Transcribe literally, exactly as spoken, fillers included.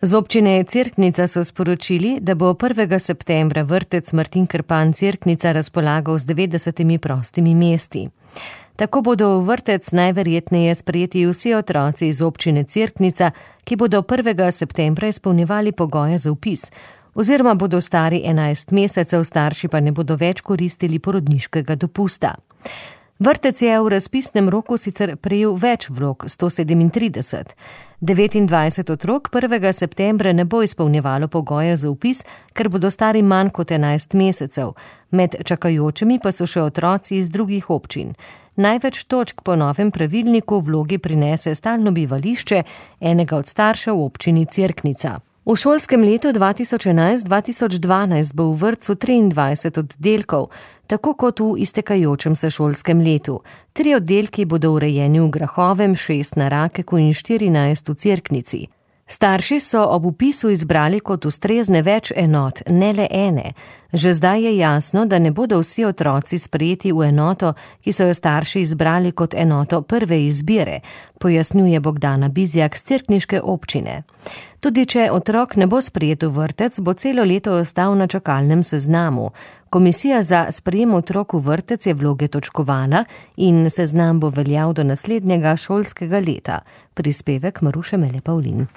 Z občine Cerknica so sporočili, da bo prvega septembra vrtec Martin Krpan Cerknica razpolagal z devetdesetimi prostimi mesti. Tako bodo v vrtec najverjetneje sprejeti vsi otroci iz občine Cerknica, ki bodo prvega septembra izpolnjevali pogoje za vpis, oziroma bodo stari enajst mesecev, starši pa ne bodo več koristili porodniškega dopusta. Vrtec je v razpisnem roku sicer prejel več vlog, sto sedemintrideset. devetindvajset otrok prvega septembra ne bo izpolnjevalo pogoje za vpis, ker bodo stari manj kot enajst mesecev. Med čakajočimi pa so še otroci iz drugih občin. Največ točk po novem pravilniku vlogi prinese stalno bivališče enega od staršev v občini Cerknica. V šolskem letu dva tisoč enajst dva tisoč dvanajst bo v vrtcu triindvajset oddelkov, tako kot v iztekajočem se šolskem letu. Tri oddelki bodo urejeni v Grahovem, šest na Rakeku in štirinajst v Cerknici. Starši so ob vpisu izbrali kot ustrezne več enot, ne le ene. Že zdaj je jasno, da ne bodo vsi otroci sprejeti v enoto, ki so jo starši izbrali kot enoto prve izbire, pojasnjuje Bogdana Bizjak z cerkniške občine. Tudi če otrok ne bo sprejet v vrtec, bo celo leto ostal na čakalnem seznamu. Komisija za sprejem otrok v vrtec je vloge točkovala in seznam bo veljal do naslednjega šolskega leta. Prispevek Maruše Mele Pavlin.